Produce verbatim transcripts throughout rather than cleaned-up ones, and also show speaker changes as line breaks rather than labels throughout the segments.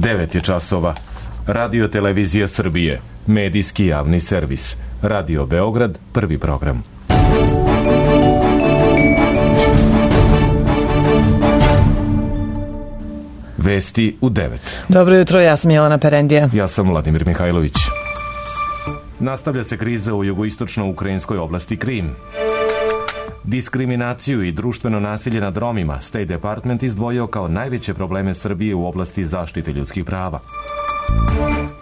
devet je časova. Radio Televizija Srbije, medijski javni servis. Radio Beograd, prvi program. Vesti u devet.
Dobro jutro, ja sam Jelena Perendija.
Ja sam Vladimir Mihajlović. Nastavlja se kriza u jugoistočno-ukrajinskoj oblasti Krim. Diskriminaciju i društveno nasilje nad Romima State Department izdvojio kao najveće probleme Srbije u oblasti zaštite ljudskih prava.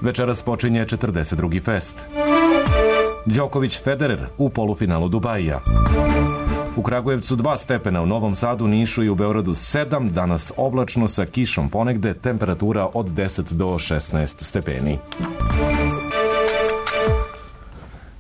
Večeras počinje četrdeset drugi fest. Đoković Federer u polufinalu Dubajija. U Kragujevcu dva stepena, u Novom Sadu, Nišu i u Beogradu sedam, danas oblačno sa kišom ponegde, temperatura od deset do šesnaest stepeni.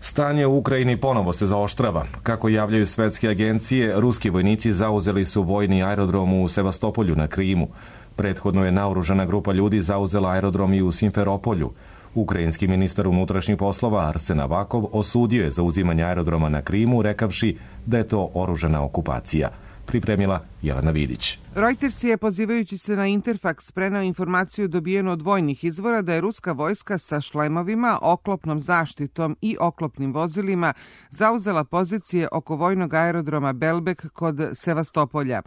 Stanje u Ukrajini ponovo se zaoštrava. Kako javljaju svetske agencije, ruski vojnici zauzeli su vojni aerodrom u Sevastopolju na Krimu. Prethodno je naoružana grupa ljudi zauzela aerodrom i u Simferopolju. Ukrajinski ministar unutrašnjih poslova Arsen Avakov osudio je zauzimanje aerodroma na Krimu, rekavši da je to oružana okupacija. Pripremila Jelena Vidić.
Reuters je, pozivajući se na Interfax, preneo informaciju dobijenu od vojnih izvora da je ruska vojska sa šlemovima, oklopnom zaštitom i oklopnim vozilima zauzela pozicije oko vojnog aerodroma Belbek kod Sevastopolja.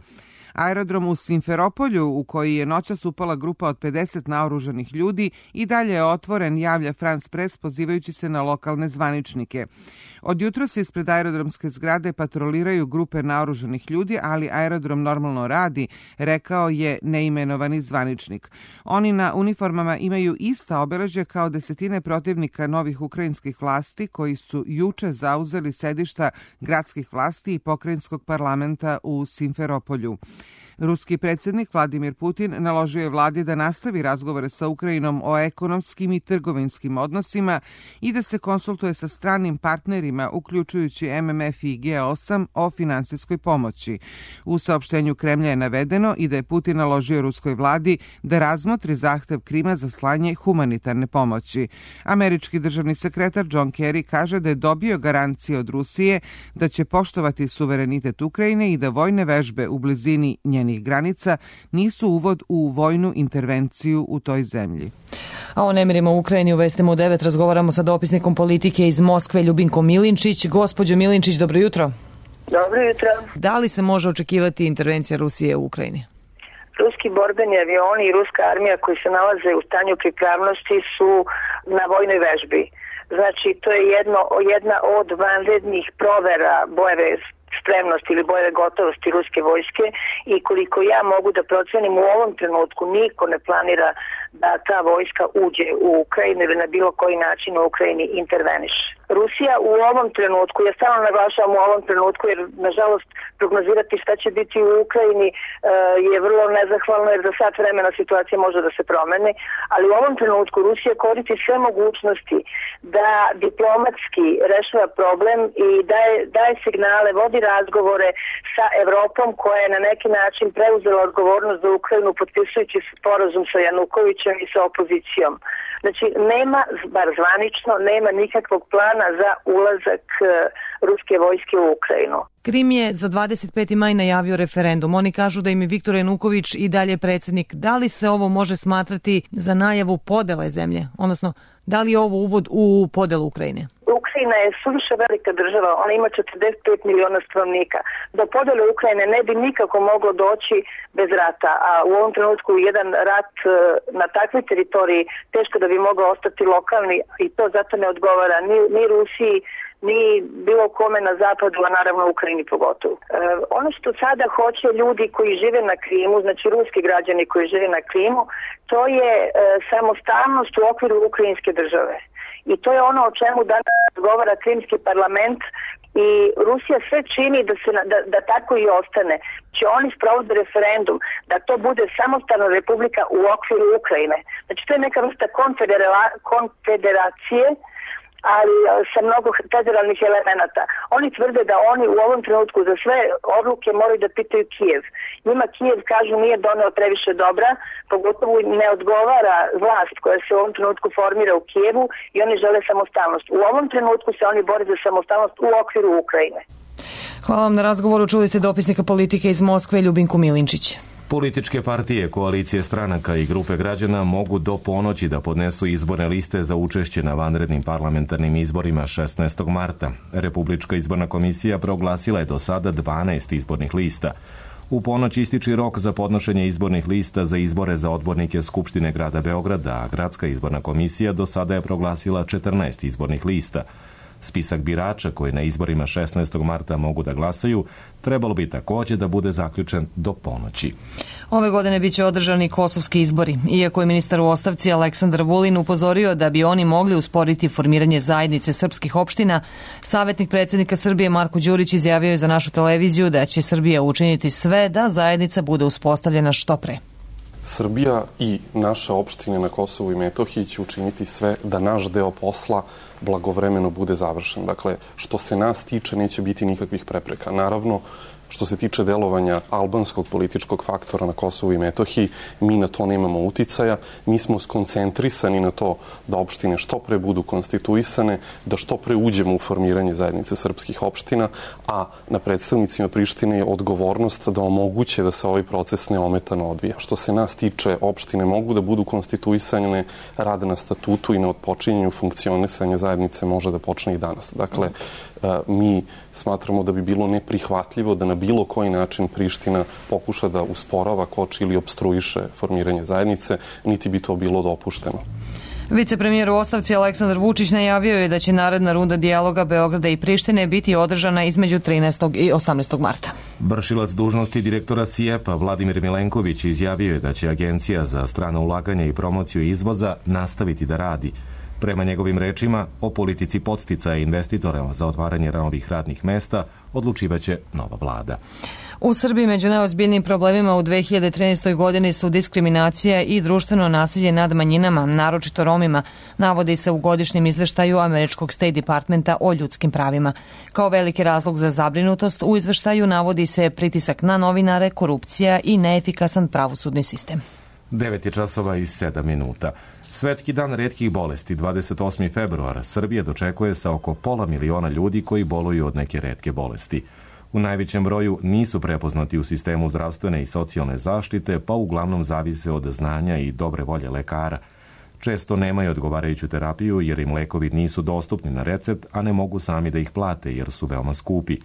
Aerodrom u Simferopolju, u koji je noćas upala grupa od pedeset naoružanih ljudi, i dalje je otvoren, javlja France Press, pozivajući se na lokalne zvaničnike. Od jutra se ispred aerodromske zgrade patroliraju grupe naoružanih ljudi, ali aerodrom normalno radi, rekao je neimenovani zvaničnik. Oni na uniformama imaju ista obeležja kao desetine protivnika novih ukrajinskih vlasti koji su juče zauzeli sedišta gradskih vlasti i pokrajinskog parlamenta u Simferopolju. Ruski predsjednik Vladimir Putin naložio je vladi da nastavi razgovore sa Ukrajinom o ekonomskim i trgovinskim odnosima i da se konsultuje sa stranim partnerima, uključujući M M F i G osam, o finansijskoj pomoći. U saopštenju Kremlja je navedeno i da je Putin naložio ruskoj vladi da razmotri zahtev Krima za slanje humanitarne pomoći. Američki državni sekretar John Kerry kaže da je dobio garancije od Rusije da će poštovati suverenitet Ukrajine i da vojne vežbe u blizini njenih granica nisu uvod u vojnu intervenciju u toj zemlji.
A o nemirima u Ukrajini u vestima u devet razgovaramo sa dopisnikom politike iz Moskve Ljubinkom Milinčić. Gospođo Milinčić, dobro jutro.
Dobro jutro.
Da li se može očekivati intervencija Rusije u Ukrajini?
Ruski borbeni avioni i ruska armija koji se nalaze u stanju pripravnosti su na vojnoj vežbi. Znači, to je jedno, jedna od vanrednih provera bojeve spremnosti ili bojeve gotovosti ruske vojske i koliko ja mogu da procenim u ovom trenutku niko ne planira da ta vojska uđe u Ukrajinu ili na bilo koji način u Ukrajini interveniše. Rusija u ovom trenutku, ja stalno naglašavam u ovom trenutku jer nažalost prognozirati šta će biti u Ukrajini e, je vrlo nezahvalno jer za sat vremena situacija može da se promeni, ali u ovom trenutku Rusija koristi sve mogućnosti da diplomatski rešava problem i daje, daje signale, vodi razgovore sa Evropom koja je na neki način preuzela odgovornost za Ukrajinu potpisujući sporazum sa Janukovićem i sa opozicijom. Znači, nema, bar zvanično, nema nikakvog plana za ulazak ruske vojske u Ukrajinu.
Krim je za dvadeset peti maj najavio referendum. Oni kažu da im je Viktor Januković i dalje predsjednik. Da li se ovo može smatrati za najavu podele zemlje? Odnosno, da li je ovo uvod u podelu Ukrajine?
Ukrajina je suviše velika država, ona ima četrdeset pet miliona stanovnika. Do podele Ukrajine ne bi nikako moglo doći bez rata, a u ovom trenutku jedan rat na takvoj teritoriji teško da bi mogao ostati lokalni i to zato ne odgovara ni, ni Rusiji, ni bilo kome na zapadu, a naravno u Ukrajini pogotovo. E, ono što sada hoće ljudi koji žive na Krimu, znači ruski građani koji žive na Krimu, to je e, samostalnost u okviru ukrajinske države. I to je ono o čemu danas govara Krimski parlament i Rusija sve čini da, se, da, da tako i ostane. Će oni sprovode referendum da to bude samostalna republika u okviru Ukrajine. Znači to je neka vrsta konfederacije, ali sa mnogo federalnih elemenata. Oni tvrde da oni u ovom trenutku za sve odluke moraju da pitaju Kijev. Njima Kijev, kažu, nije doneo previše dobra, pogotovo ne odgovara vlast koja se u ovom trenutku formira u Kijevu i oni žele samostalnost. U ovom trenutku se oni bore za samostalnost u okviru Ukrajine.
Hvala vam na razgovoru. Čuli ste dopisnika politike iz Moskve Ljubinku Milinčić.
Političke partije, koalicije stranaka i grupe građana mogu do ponoći da podnesu izborne liste za učešće na vanrednim parlamentarnim izborima šesnaestog marta. Republička izborna komisija proglasila je do sada dvanaest izbornih lista. U ponoć ističi rok za podnošenje izbornih lista za izbore za odbornike Skupštine grada Beograda, a Gradska izborna komisija do sada je proglasila četrnaest izbornih lista. Spisak birača koji na izborima šesnaestog marta mogu da glasaju trebalo bi također da bude zaključen do ponoći.
Ove godine biće održani kosovski izbori. Iako je ministar u ostavci Aleksandar Vulin upozorio da bi oni mogli usporiti formiranje zajednice srpskih opština, savjetnik predsjednika Srbije Marko Đurić izjavio je za našu televiziju da će Srbija učiniti sve da zajednica bude uspostavljena što pre.
Srbija i naše opštine na Kosovu i Metohiji će učiniti sve da naš deo posla blagovremeno bude završen. Dakle, što se nas tiče, neće biti nikakvih prepreka. Naravno, što se tiče delovanja albanskog političkog faktora na Kosovu i Metohiji, mi na to nemamo uticaja. Mi smo skoncentrisani na to da opštine što pre budu konstituisane, da što pre uđemo u formiranje zajednice srpskih opština, a na predstavnicima Prištine je odgovornost da omoguće da se ovaj proces neometano odvija. Što se nas tiče, opštine mogu da budu konstituisane, rad na statutu i na odpočinjenju funkcionisanja zajednice može da počne i danas. Dakle, mi smatramo da bi bilo neprihvatljivo da na bilo koji način Priština pokuša da usporava, koči ili opstruiše formiranje zajednice, niti bi to bilo dopušteno.
Vicepremijer u ostavci Aleksandar Vučić najavio je da će naredna runda dijaloga Beograda i Prištine biti održana između trinaestog i osamnaestog marta.
Vršilac dužnosti direktora S I E P-a Vladimir Milenković izjavio je da će Agencija za strana ulaganja i promociju izvoza nastaviti da radi. Prema njegovim rečima, o politici podsticaja investitora za otvaranje novih radnih mesta odlučivaće nova vlada.
U Srbiji među najozbiljnijim problemima u dve hiljade trinaestoj godini su diskriminacija i društveno nasilje nad manjinama, naročito Romima, navodi se u godišnjem izveštaju Američkog State Departmenta o ljudskim pravima. Kao veliki razlog za zabrinutost u izveštaju navodi se pritisak na novinare, korupcija i neefikasan pravosudni sistem.
devet je časova i sedam minuta. Svetski dan retkih bolesti, dvadeset osmi februar, Srbija dočekuje sa oko pola miliona ljudi koji boluju od neke retke bolesti. U najvećem broju nisu prepoznati u sistemu zdravstvene i socijalne zaštite, pa uglavnom zavise od znanja i dobre volje lekara. Često nemaju odgovarajuću terapiju jer im lekovi nisu dostupni na recept, a ne mogu sami da ih plate jer su veoma skupi.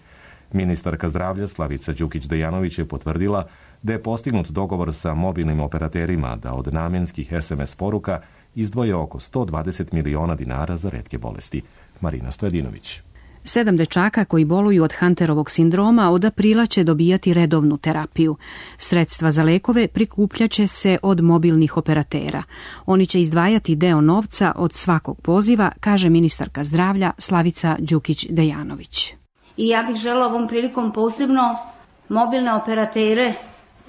Ministarka zdravlja Slavica Đukić-Dejanović je potvrdila da je postignut dogovor sa mobilnim operaterima da od namenskih es em es poruka izdvoje oko sto dvadeset miliona dinara za retke bolesti. Marina Stojadinović.
Sedam dečaka koji boluju od Hunterovog sindroma od aprila će dobijati redovnu terapiju. Sredstva za lekove prikupljaće se od mobilnih operatera. Oni će izdvajati deo novca od svakog poziva, kaže ministarka zdravlja Slavica Đukić-Dejanović.
I ja bih želela ovom prilikom posebno mobilne operatere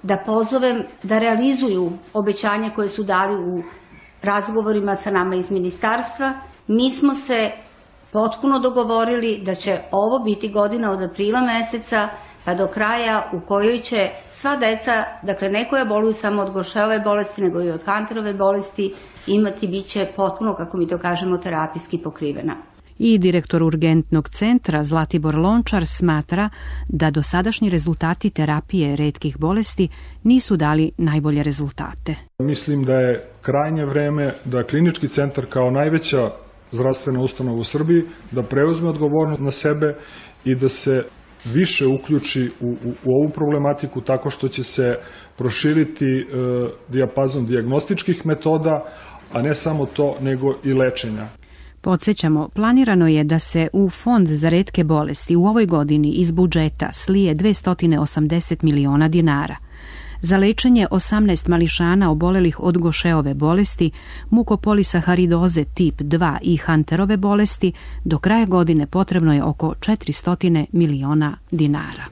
da pozovem da realizuju obećanja koje su dali u razgovorima sa nama iz ministarstva. Mi smo se potpuno dogovorili da će ovo biti godina od aprila meseca pa do kraja u kojoj će sva deca, dakle ne koja boluju samo od Gorševe bolesti nego i od Hunterove bolesti, imati biće potpuno, kako mi to kažemo, terapijski pokrivena.
I direktor urgentnog centra Zlatibor Lončar smatra da dosadašnji rezultati terapije retkih bolesti nisu dali najbolje rezultate.
Mislim da je krajnje vreme da klinički centar kao najveća zdravstvena ustanova u Srbiji da preuzme odgovornost na sebe i da se više uključi u, u, u ovu problematiku tako što će se proširiti e, dijapazon dijagnostičkih metoda, a ne samo to nego i lečenja.
Podsjećamo, planirano je da se u Fond za retke bolesti u ovoj godini iz budžeta slije dvesta osamdeset miliona dinara. Za lečenje osamnaest mališana obolelih od Gošeove bolesti, mukopolisaharidoze tip dva i Hunterove bolesti, do kraja godine potrebno je oko četiristo miliona dinara.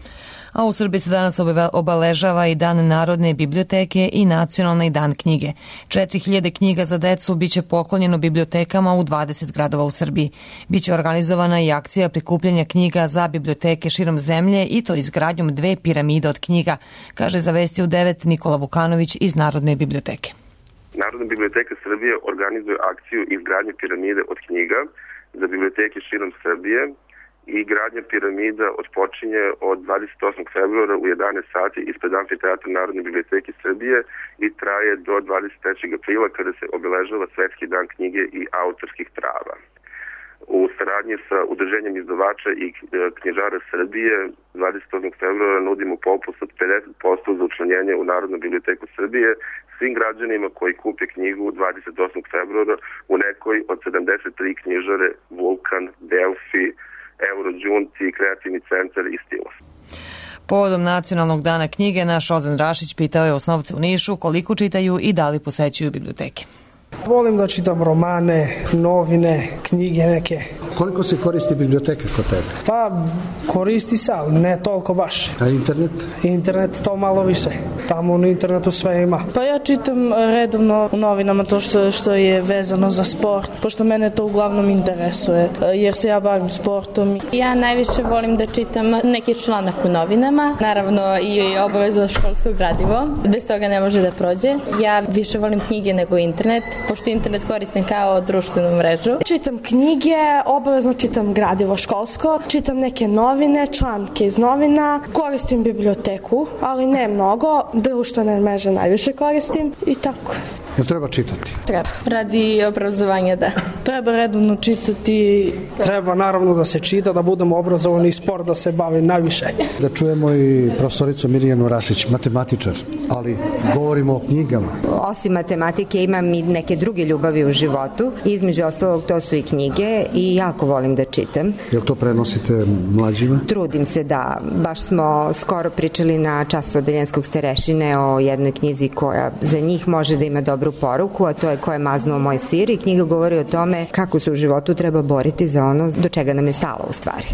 A u Srbiji se danas obeležava i Dan Narodne biblioteke i Nacionalni dan knjige. četiri hiljade knjiga za decu biće poklonjeno bibliotekama u dvadeset gradova u Srbiji. Biće organizovana i akcija prikupljanja knjiga za biblioteke širom zemlje i to izgradnjom dve piramide od knjiga, kaže za Vesti u devet Nikola Vukanović iz Narodne biblioteke.
Narodna biblioteka Srbije organizuje akciju izgradnje piramide od knjiga za biblioteke širom Srbije i gradnja piramida odpočinje od dvadeset osmog februara u jedanaest sati ispred Amfiteatra Narodne biblioteke Srbije i traje do dvadeset trećeg aprila kada se obeležava Svetski dan knjige i autorskih prava. U saradnji sa Udruženjem izdavača i knjižara Srbije dvadeset osmog februara nudimo popust od pedeset posto za učlanjenje u Narodnu biblioteku Srbije svim građanima koji kupe knjigu dvadeset osmog februara u nekoj od sedamdeset tri knjižare Vulkan, Delfi, Eurođunti, Kreativni centar i Stilos.
Povodom Nacionalnog dana knjige, naš Ozan Rašić pitao je osnovce u Nišu koliko čitaju i da li posećuju biblioteke.
Volim da čitam romane, novine, knjige neke.
Koliko se koristi biblioteka kod tebe?
Pa, koristi se, ali ne toliko baš.
A internet?
Internet to malo više. Tamo na internetu sve ima.
Pa ja čitam redovno u novinama to što, što je vezano za sport, pošto mene to uglavnom interesuje, jer se ja bavim sportom.
Ja najviše volim da čitam neki članak u novinama, naravno i obavezno školsko gradivo. Bez toga ne može da prođe. Ja više volim knjige nego internet, pošto internet koristim kao društvenu mrežu.
Čitam knjige, obavezno čitam gradivo školsko, čitam neke novine, članke iz novina, koristim biblioteku, ali ne mnogo, društvene mreže najviše koristim i tako.
Jel treba čitati?
Treba. Radi obrazovanja, da.
Treba redovno čitati.
Treba naravno da se čita, da budemo obrazovani i sport da se bavi najviše.
Da čujemo i profesoricu Mirjanu Rašić, matematičar, ali govorimo o knjigama.
Osim matematike imam i neke druge ljubavi u životu. Između ostalog to su i knjige i jako volim da čitam.
Jel to prenosite mlađima?
Trudim se da. Baš smo skoro pričali na času odeljenskog starešine o jednoj knjizi koja za njih može da ima dobru poruku, a to je Ko je maznuo moj sir, i knjiga govori o tome kako se u životu treba boriti za ono do čega nam je stalo u stvari.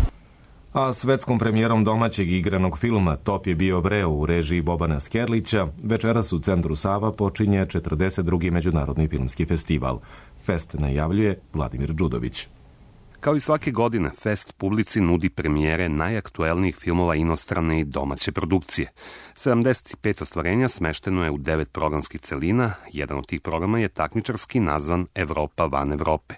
A svetskom premijerom domaćeg igranog filma Top je bio breo u režiji Bobana Skerlića večeras u Centru Sava počinje četrdeset drugi Međunarodni filmski festival. Fest najavljuje Vladimir Đudović.
Kao i svake godine, Fest publici nudi premijere najaktuelnijih filmova inostrane i domaće produkcije. sedamdeset pet ostvarenja smešteno je u devet programskih celina, jedan od tih programa je takmičarski nazvan Evropa van Evrope.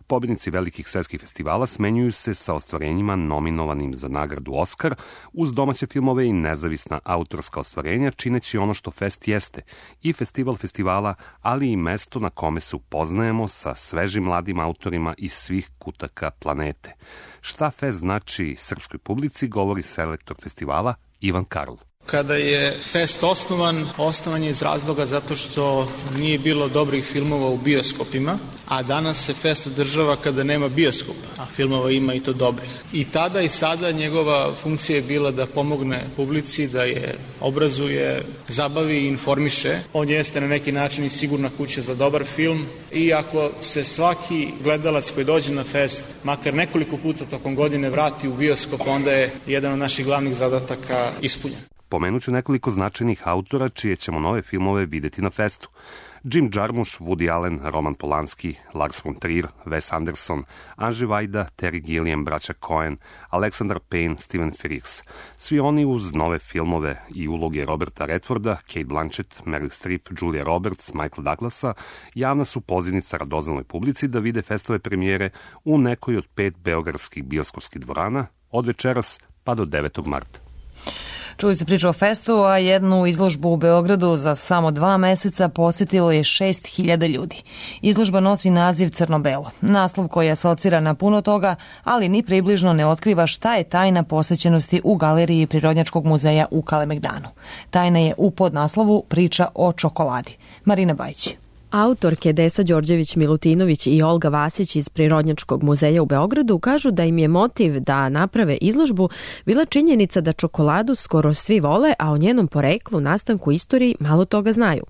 Pobjednici velikih svetskih festivala smenjuju se sa ostvarenjima nominovanim za nagradu Oskar, uz domaće filmove i nezavisna autorska ostvarenja, čineći ono što Fest jeste, i festival festivala, ali i mesto na kome se upoznajemo sa svežim mladim autorima iz svih kutaka planete. Šta Fest znači srpskoj publici, govori selektor festivala Ivan Karl.
Kada je Fest osnovan, osnovan je iz razloga zato što nije bilo dobrih filmova u bioskopima, a danas se Fest održava kada nema bioskopa, a filmova ima i to dobrih. I tada i sada njegova funkcija je bila da pomogne publici, da je obrazuje, zabavi i informiše. On jeste na neki način i sigurna kuća za dobar film, i ako se svaki gledalac koji dođe na Fest makar nekoliko puta tokom godine vrati u bioskop, onda je jedan od naših glavnih zadataka ispunjen.
Pomenuću nekoliko značajnih autora čije ćemo nove filmove videti na Festu. Jim Jarmusch, Woody Allen, Roman Polanski, Lars von Trier, Wes Anderson, Andrzej Wajda, Terry Gilliam, braća Coen, Alexander Payne, Steven Frears. Svi oni uz nove filmove i uloge Roberta Redforda, Cate Blanchett, Meryl Streep, Julia Roberts, Michael Douglasa javna su pozivnica radoznaloj publici da vide festove premijere u nekoj od pet beogradskih bioskopskih dvorana od večeras pa do devetog marta.
Čuli ste priču o festu, a jednu izložbu u Beogradu za samo dva meseca posjetilo je šest hiljada ljudi. Izložba nosi naziv Crno-belo, naslov koji asocira na puno toga, ali ni približno ne otkriva šta je tajna posjećenosti u galeriji Prirodnjačkog muzeja u Kalemegdanu. Tajna je u podnaslovu Priča o čokoladi. Marina Bajić.
Autorke Desa Đorđević-Milutinović i Olga Vasić iz Prirodnjačkog muzeja u Beogradu kažu da im je motiv da naprave izložbu bila činjenica da čokoladu skoro svi vole, a o njenom poreklu, nastanku, istoriji malo toga znaju.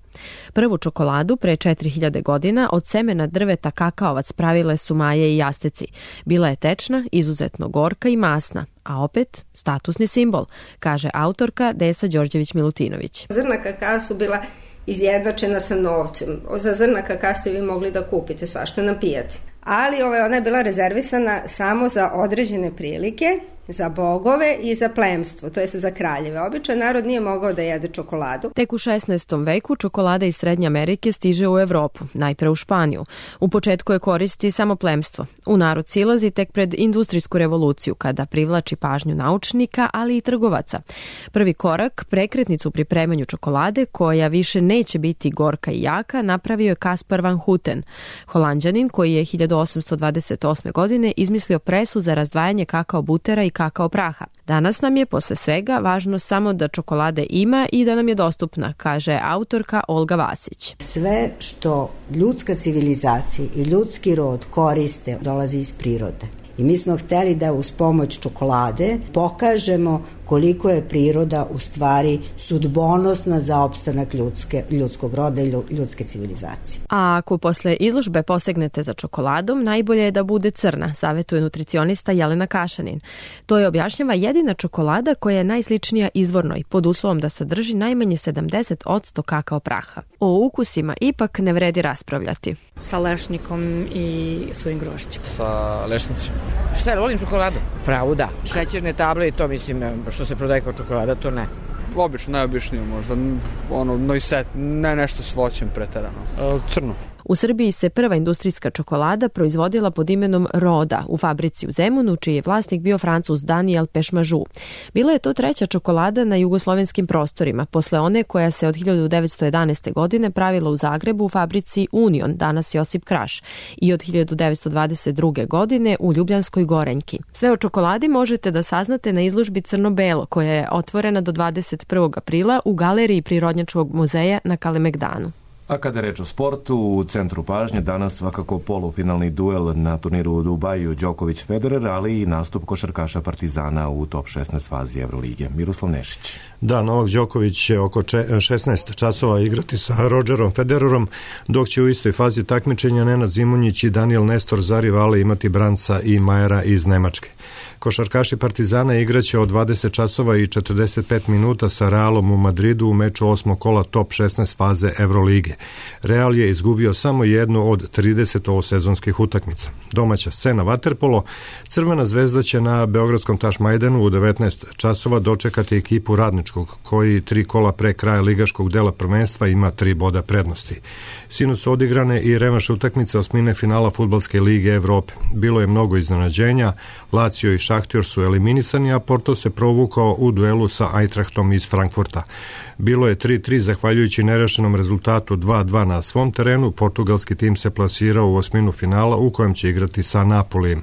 Prvu čokoladu pre četiri hiljade godina od semena drveta kakaovac pravile su Maje i Asteci. Bila je tečna, izuzetno gorka i masna, a opet statusni simbol, kaže autorka Desa Đorđević-Milutinović.
Zrna kakao su bila izjednačena sa novcem. Za zrna kakao ste vi mogli da kupite svašta na pijaci. Ali ovaj, ona je bila rezervisana samo za određene prilike za bogove i za plemstvo, to jest za kraljeve. Običan narod nije mogao da jede čokoladu.
Tek u šesnaestom veku čokolada iz Srednje Amerike stiže u Evropu, najpre u Španiju. U početku je koristi samo plemstvo. U narod silazi tek pred industrijsku revoluciju, kada privlači pažnju naučnika, ali i trgovaca. Prvi korak, prekretnicu u pripremanju čokolade, koja više neće biti gorka i jaka, napravio je Caspar van Houten, Holanđanin koji je hiljadu osamsto dvadeset osme. godine izmislio presu za razdvajanje kakao butera i kakao praha. Danas nam je posle svega važno samo da čokolade ima i da nam je dostupna, kaže autorka Olga Vasić.
Sve što ljudska civilizacija i ljudski rod koriste dolazi iz prirode. I mi smo hteli da uz pomoć čokolade pokažemo koliko je priroda u stvari sudbonosna za opstanak ljudske, ljudskog roda i ljudske civilizacije.
A ako posle izložbe posegnete za čokoladom, najbolje je da bude crna, savjetuje nutricionista Jelena Kašanin. To je objašnjava jedina čokolada koja je najsličnija izvornoj, pod uslovom da sadrži najmanje sedamdeset posto kakao praha. O ukusima ipak ne vredi raspravljati.
Sa lešnikom i suvim grožđem.
Sa lešnicima.
Šta je, volim čokoladu? Pravo da. Šećerne table i to, mislim, što se prodaje kao čokolada, to ne.
Obično, najobičniju možda, ono, noiset, ne nešto s voćem preterano. E, crno.
U Srbiji se prva industrijska čokolada proizvodila pod imenom Roda u fabrici u Zemunu, čiji je vlasnik bio Francuz Daniel Pešmažu. Bila je to treća čokolada na jugoslovenskim prostorima, posle one koja se od hiljadu devetsto jedanaeste. godine pravila u Zagrebu u fabrici Union, danas Josip Kraš, i od hiljadu devetsto dvadeset druge. godine u Ljubljanskoj Gorenjki. Sve o čokoladi možete da saznate na izložbi Crno-belo, koja je otvorena do dvadeset prvog aprila u galeriji Prirodnjačkog muzeja na Kalemegdanu.
A kada je reč o sportu, u centru pažnje danas svakako polufinalni duel na turniru u Dubaju Đoković-Federer, ali i nastup košarkaša Partizana u top šesnaest fazi Evrolige. Miroslav Nešić.
Da, Novak Đoković će oko šesnaest časova igrati sa Rodgerom Federerom, dok će u istoj fazi takmičenja Nenad Zimonjić i Daniel Nestor za rivale imati Branca i Majera iz Nemačke. Košarkaši Partizana igraće od dvadeset časova i četrdeset pet minuta sa Realom u Madridu u meču osmog kola top šesnaest faze Evrolige. Real je izgubio samo jednu od trideset ovosezonskih utakmica. Domaća scena vaterpolo, Crvena zvezda će na Beogradskom Tašmajdanu u devetnaest časova dočekati ekipu Radničkog, koji tri kola pre kraja ligaškog dela prvenstva ima tri boda prednosti. Sinoć su odigrane i revanš utakmice osmine finala Fudbalske lige Evrope. Bilo je mnogo iznenađenja, Lazio i Šahtjor su eliminisani, a Porto se provukao u duelu sa Eintrachtom iz Frankfurta. Bilo je tri tri zahvaljujući nerešenom rezultatu dva dva na svom terenu. Portugalski tim se plasirao u osminu finala u kojem će igrati sa Napolijem.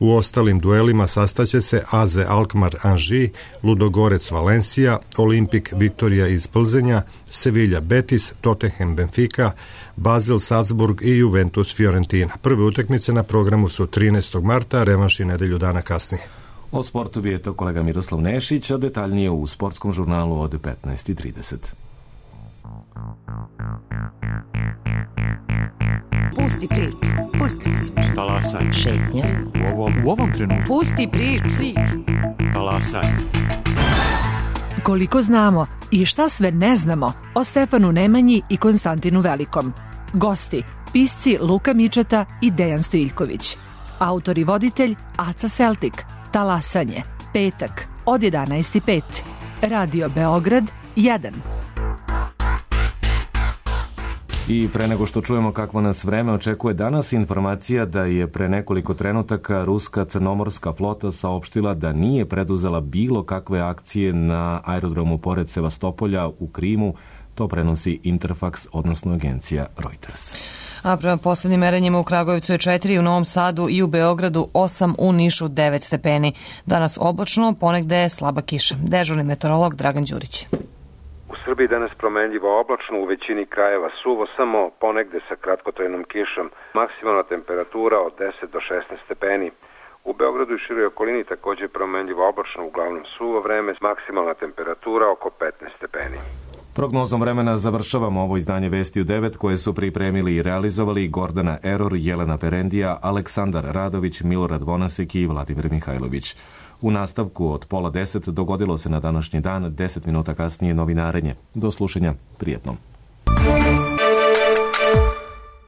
U ostalim duelima sastaće se A Z Alkmaar Anži, Ludogorec Valencija, Olimpik Viktorija iz Plzenja, Sevilla Betis, Tottenham Benfica, Basel Salzburg i Juventus Fiorentina. Prve utakmice na programu su trinaestog marta, revanš i nedelju dana kasnije.
O sportu bi je to kolega Miroslav Nešić, a detaljnije u sportskom žurnalu od petnaest i trideset.
Pusti priču, pusti priču.
Talasaj.
Šetnja.
U ovom, u ovom trenutku.
Pusti priču. priču.
Talasaj.
Koliko znamo i šta sve ne znamo o Stefanu Nemanji i Konstantinu Velikom. Gosti, pisci Luka Mičeta i Dejan Stojiljković. Autor i voditelj Aca Seltik. Talasanje. Petak od jedanaest i pet. Radio Beograd jedan.
I pre nego što čujemo kakvo nas vreme očekuje danas, informacija da je pre nekoliko trenutaka ruska crnomorska flota saopštila da nije preduzela bilo kakve akcije na aerodromu pored Sevastopolja u Krimu. To prenosi Interfax, odnosno agencija Reuters.
A prema poslednjim merenjima u Kragujevcu je četiri, u Novom Sadu i u Beogradu osam, u Nišu devet stepeni. Danas oblačno, ponegde je slaba kiša. Dežurni meteorolog Dragan Đurić.
U Srbiji danas promenljivo oblačno, u većini krajeva suvo, samo ponegde sa kratkotrajnom kišom. Maksimalna temperatura od deset do šesnaest stepeni. U Beogradu i široj okolini takođe promenljivo oblačno, uglavnom suvo vreme, maksimalna temperatura oko petnaest stepeni.
Prognozom vremena završavamo ovo izdanje Vesti u devet koje su pripremili i realizovali Gordana Eror, Jelena Perendija, Aleksandar Radović, Milorad Vonasek i Vladimir Mihajlović. U nastavku od pola deset dogodilo se na današnji dan, deset minuta kasnije novinarenje. Do slušanja, prijetno.